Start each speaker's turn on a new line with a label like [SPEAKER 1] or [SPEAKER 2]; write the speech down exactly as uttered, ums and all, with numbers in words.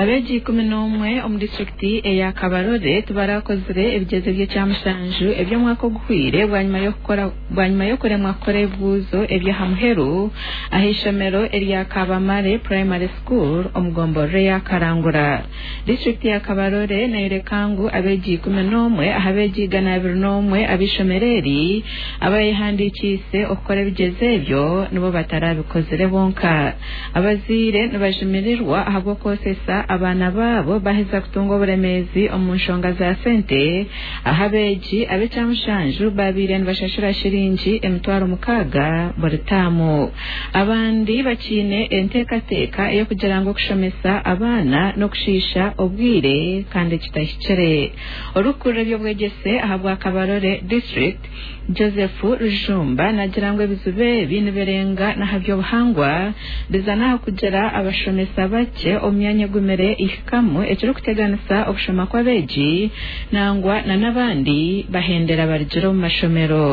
[SPEAKER 1] Abeegi ikumi n'omwe omu disitulikiti eya Kabarole tibarakozire ebigyezo by'ekyamushanju eby'omwaka oguhwire bwanyima y'okukora bwanyima y'okuremwa kukora ebibuuzo eby'aha muheru ah'eishomero erya Kabamare Primary School omu gomborora eya Karangura. Disitulikiti ya Kabarole neeyoreka ngu abeegi ikumi n'omwe aha beegi igana abiri n'omwe ab'eishomero eri abayehandiikiise okukora ebigyezo ebyo nibo batarabikozire bonka. Abazaire nibajimirirwa ahabw'okwosesa abaana baabo baheza kutunga oburemeezi omu nshonga za sente aho abeegi ab'ekyamushanju babaire nibashashura shiringi emitwaro mukaaga buri taamu. Abandi bakiine enteekateeka ey'okugira ngu okushomesa abaana n'okushiisha obwire kandi kitahikire. Orikukurira eby'obwegyese ahabwa Kabarole District Joseph Rujumba nagira ngu ebizibu ebi nibirenga n'aha by'obuhangwa biza n'aha kugira abashomesa bakye omu myanya egumire ihikamu ekirikuteganisa okushoma kw'abeegi nangwa na n'abandi bahendera barugire omu mashomero.